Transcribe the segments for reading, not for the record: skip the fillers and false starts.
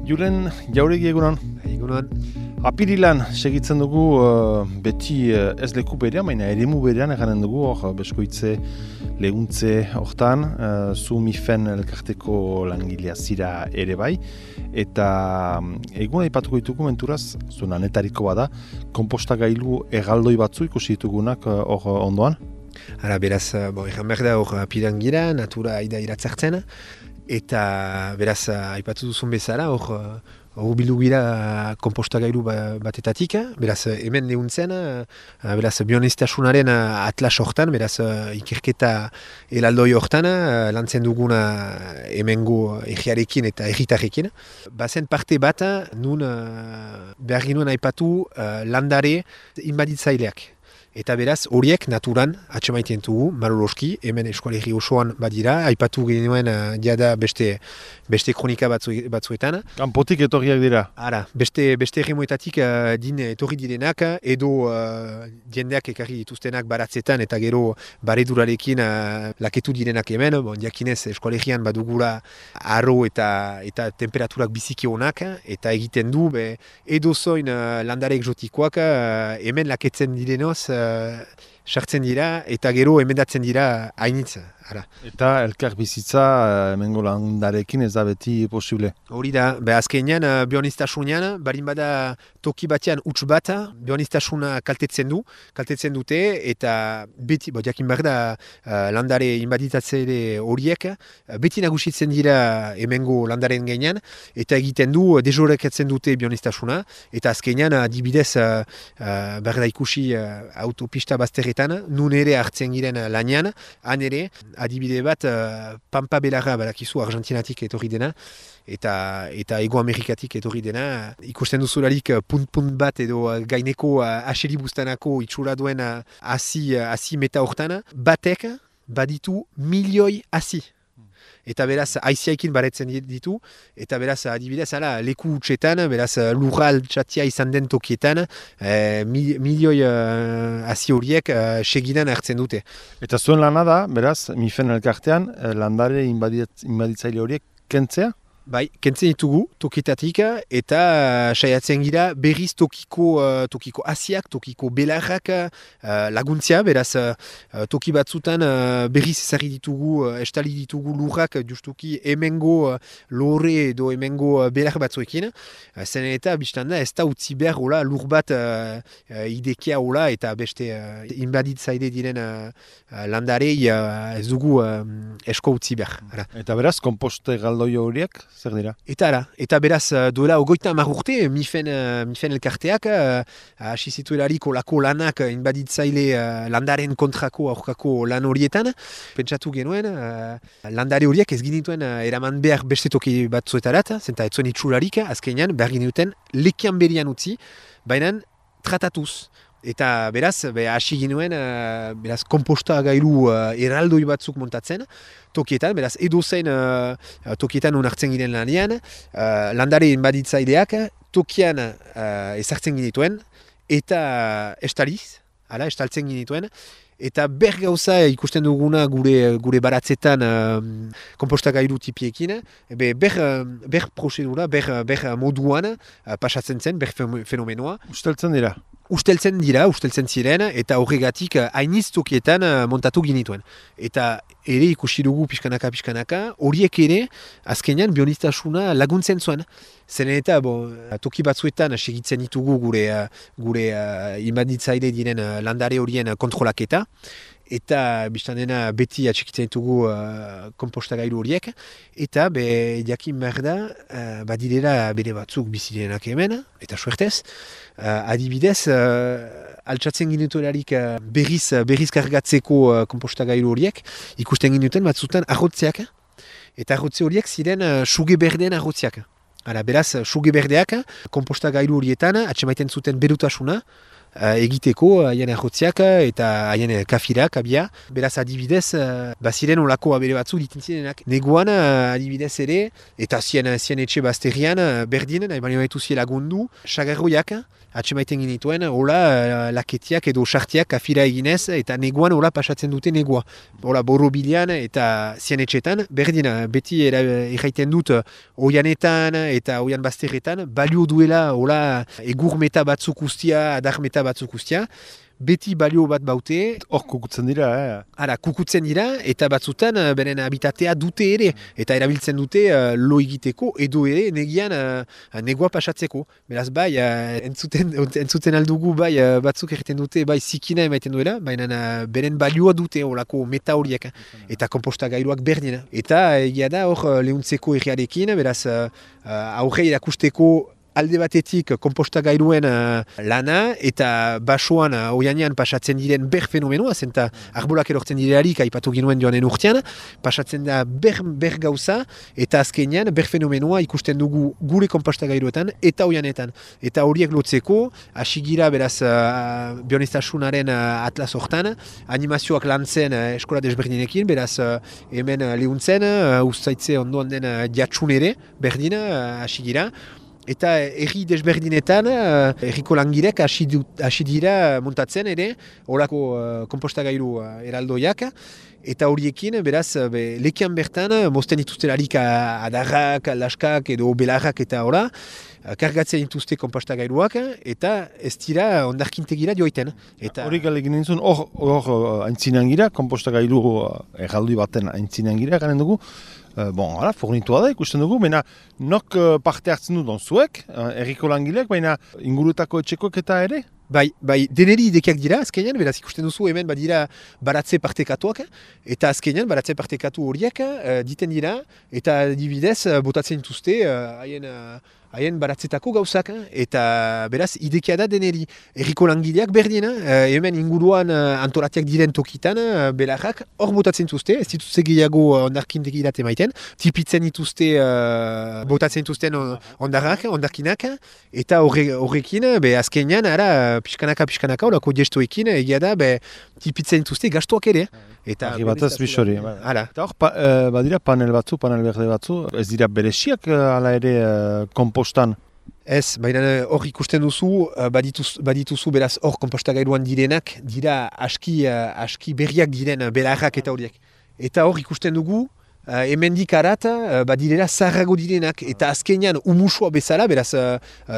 Julen Jauregi egunon. Egunon. Apirilan segitzen dugu beti ez leku berean, baina eremu berean eganen dugu, beskoitze, leguntze hortan, zu MIFEN elkarteko langilea zira ere bai, eta egun aipatuko ditugu menturaz, zuen anetariko bada, konpostagailu erraldoi batzu ikusi ditugunak hor ondoan? Ara, beraz, egan behar da hor apiran gira, natura aida iratzartzen, eta beraz, aipatu duzun bezala, hor bildu gira konpostagailu batetatik, beraz, hemen lehuntzen, beraz, bioniztasunaren atlas hortan, beraz, ikerketa elaldoi hortan, lantzen duguna hemengo egiarekin eta egitarrekin. Bazen parte bat, nun behar ginuen aipatu landare inbaditzaileak. Eta beraz, horiek naturan atxemaiten dugu, maroloski, hemen eskualegi osoan badira, aipatu genuen jada beste kronika batzuetan. Kanpotik etorriak dira? Ara, beste erremoetatik din etorri direnak, edo jendeak ekarri dituztenak baratzetan, eta gero baredurarekin laketu direnak hemen, jakinez eskualegian badugula arro eta temperaturak biziki honak, eta egiten du, edo zoin landare egzotikoak hemen laketzen direnoz, sartzen dira eta gero emendatzen dira hainitza. Eta elkar bizitza hemengo landarekin ez da beti posible? Hori da, azkenean bioniztasunean, barin bada toki batean huts bat, bioniztasuna kaltetzen dute, eta beti, jakin behar da landare inbaditatzeile horiek, beti nagusitzen dira hemengo landaren gainean, eta egiten du dezorekatzen dute bioniztasuna, eta azkenean adibidez behar da ikusi autopista bazterretan, nun ere hartzen giren lanean, han ere, adibide bat, Pampa Belarra badakizu Argentinatik etorri dena, eta Ego Amerikatik etorri dena. Ikusten duzularik punt bat edo gaineko aseri bustanako itxura duen hasi meta hortan, batek baditu milioi hasi. Eta beraz, aiziaikin baretzen ditu, eta beraz, adibidez, leku utxetan, beraz, lurral txatia izan den tokietan, milioi hasi horiek segidan hartzen dute. Eta zuen lana da, beraz, MIFEN elkartean, landare inbaditzaile horiek kentzea? Bai, kentzen ditugu tokietatik eta saiatzen gira berriz tokiko hasiak, tokiko belarrak laguntzia, beraz toki batzutan berriz ezarri ditugu, estali ditugu lurrak justuki hemengo lore edo hemengo belar batzuekin. Zen eta biztan da ez da utzi behar hola lur bat idekia hola eta beste inbaditzaile diren landarei ez dugu esko utzi behar. Eta beraz, konposte galdoi horiek? Zer dira? Eta beraz, duela 30 urte, MIFEN elkarteak hasi zituelarik olako lanak inbaditzaile landaren kontrako aurkako lan horietan. Pentsatu genuen, landare horiek ez ginituen eraman behar beste toki batzuetarat, zenta ez zuen itxularik, azkenean behar ginituen lekian berian utzi, baina tratatuz. Eta beraz, hasi ginuen, beraz, konpostagailu erraldoi batzuk montatzen, tokietan, beraz, edozein tokietan onartzen giren lanean, landare inbaditzaileak tokian ezartzen ginituen, eta estaltzen ginituen, eta ber gauza ikusten duguna gure baratzetan konpostagailu tipiekin, ber prozedura, ber moduan pasatzen zen, ber fenomenoa. Usteltzen ziren, eta horregatik hainiz tokietan montatu ginituen. Eta ere ikusi dugu pixkanaka, horiek ere azkenean bioniztasuna laguntzen zuen. Zen eta toki batzuetan segitzen ditugu gure inbaditzaile diren landare horien kontrolaketa, eta biztan dena beti atxikitzen ditugu konpostagailu horiek, eta jakin behar da, badirela bere batzuk bizirenak hemen, eta suertez, adibidez, altsatzen ginutelarik berriz kargatzeko konpostagailu horiek, ikusten ginuten batzutan arrotzeak, eta arrotze horiek ziren suge berdeen arrotzeak. Beraz, suge berdeak konpostagailu horietan atxemaiten zuten berutasuna, egiteko haien errotziak eta haien kafirak abia. Beraz adibidez, baziren olako abere batzu ditintzinenak. Neguan adibidez ere, eta zien etxe bazterian berdin, nahi baino baitu zie lagundu, sagarroiak, atxemaiten ginituen, hola laketiak edo sartiak kafira eginez, eta neguan hola pasatzen dute negua. Hola borobilean eta zien etxetan, berdin, beti erraiten dut oianetan eta oian bazterretan, balio duela hola egur meta batzuk ustia, adar meta batzuk ustia, beti balio bat baute. Hor kukutzen dira, Ara, kukutzen dira, eta batzutan beren habitatea dute ere, eta erabiltzen dute lo egiteko, edo ere negian negua pasatzeko. Beraz, bai, entzuten aldugu, bai, batzuk egiten dute, bai, zikina emaiten duela, baina beren balioa dute olako meta horiek, eta konpostagailuak berdina. Eta egia da, hor lehuntzeko erriarekin, beraz, aurre erakusteko alde batetik konpostagailuen lana eta basoan oianean pasatzen diren ber fenomenoa, zenta arbolak erortzen direlarik aipatu ginuen joanen urtean, pasatzen da ber gauza eta azkenean ber fenomenoa ikusten dugu gure konpostagailuetan eta oianetan. Eta horiek lotzeko, hasigira beraz bionestasunaren atlas hortan, animazioak lantzen eskola desberdinekin, beraz hemen lehuntzen, ustaitze ondoan den jatsun ere, berdin hasigira. Eta erri desberdinetan, erriko langirek hasi dira montatzen ere, horako konpostagailu eraldoiak, eta horiekin, beraz, lekian bertan, mozten dituztelarik adarrak, laskak edo belarrak eta hola, kargatzen dituzte konpostagailuak, eta ez dira ondarkintegira joiten. Hori galegin nintzen, hor aintzinean gira, konpostagailu erraldoi baten aintzinean gira, garen dugu, fornitua da ikusten dugu, baina nok parte hartzen du donzuek, erriko langileak, baina inguruetako etxekoek eta ere? Bai, deneri idekiak dira, azkenean, beraz ikusten duzu hemen badira baratze partekatuak, eta azkenean baratze partekatu horiek diten dira, eta dibidez botatzen dituzte haien baratzetako gauzak, eta beraz idekia da deneri. Erriko langileak berdina, hemen inguruan antolatiak diren tokitan, belarrak hor botatzen dituzte, ez dituzte gehiago ondarkintegirat emaiten, tipitzen dituzte, botatzen dituzten ondarkinak, eta horrekin, azkenean, ara, pixkanaka, horako gestoekin, egia da, tipitzen dituzte gastuak ere. Argi batez bisori. Eta hor, badira panel berde batzu, ez dira bereziak ala ere kompostan? Ez, baina hor ikusten duzu, badituzu beraz hor konpostagailuan direnak, dira aski berriak diren belarrak eta horiek. Eta hor ikusten dugu, hemendik arat badirela zaharrago direnak, eta azkenean umusua bezala, beraz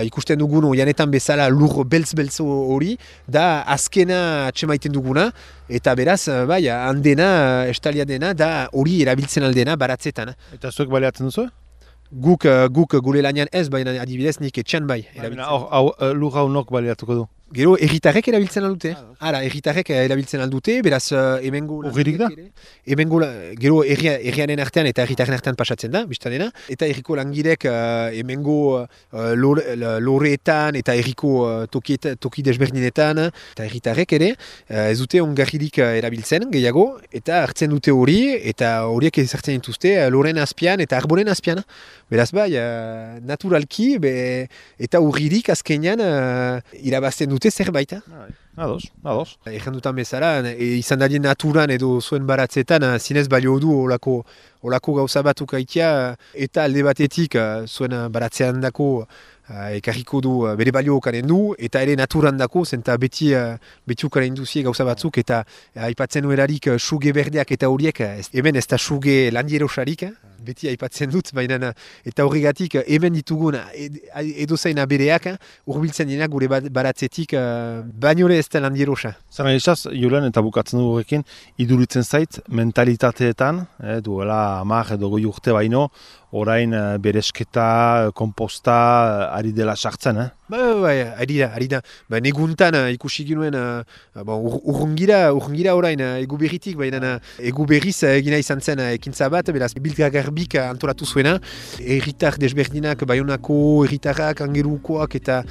ikusten dugun janetan bezala lur beltz hori, da azkena atxemaiten duguna, eta beraz, handena, estalia dena, da hori erabiltzen aldena baratzetan. Eta zuek baleatzen duzu? Guk gure lanian ez, baina adibidez nik etxan bai. Lur hau nok baleatuko du? Gero, erritarrek erabiltzen aldute. Erritarrek erabiltzen aldute, beraz, hemengo... Urririk da? Gero, errianen artean eta erritaren artean pasatzen da, biztanena. Eta erriko langirek hemengo loreetan eta erriko toki desberdinetan, eta erritarrek ere, ez dute ongarririk erabiltzen, gehiago, eta hartzen dute hori, eta horiek ezartzen dituzte loren azpian eta arboren azpian. Beraz, naturalki, eta urririk azkenean irabazten dute zerbait. Ados. Egen dutan bezala, izan darien naturan edo zuen baratzetan, zinez balio du olako gauza batuk aitea, eta alde batetik zuen baratzean dako ekarriko du bere balio okanen du, eta ere naturan dako, zenta beti ukaren duzie gauza batzuk, eta aipatzen nuerarik suge berdeak eta horiek, hemen ez da suge landierosarik, beti aipatzen dut, baina eta horregatik hemen ditugun edozain abereak urbiltzen dira gure baratzetik bainore ez da landierosa. Zara esaz, Julen, eta bukatzen dugu horrekin, iduritzen zait mentalitateetan, duela 10 edo 20 urte baino, orain beresketa, komposta, ari dela sartzen, Ari da. Neguntan ikusi ginuen urrungira orain egu berritik, baina egu berriz egina izan zen ekintza bat, beraz Biltga Garbik antolatu zuena, erritar desberdinak, Baionako erritarrak, Angerukoak eta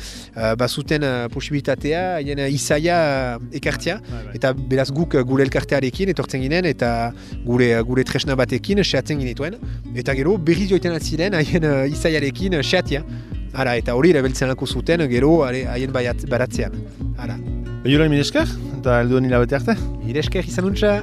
bazuten posibilitatea, haien izaia ekartzea, eta beraz guk gure elkartearekin etortzen ginen, eta gure tresna batekin seatzen ginetuen, eta gero berriz joiten atziren haien izaiarekin seatia. Eta hori erabiltzen alko zuten, gero haien baratzean. Jura, mire esker, eta helduen hilabete arte. Mire esker izan untxa.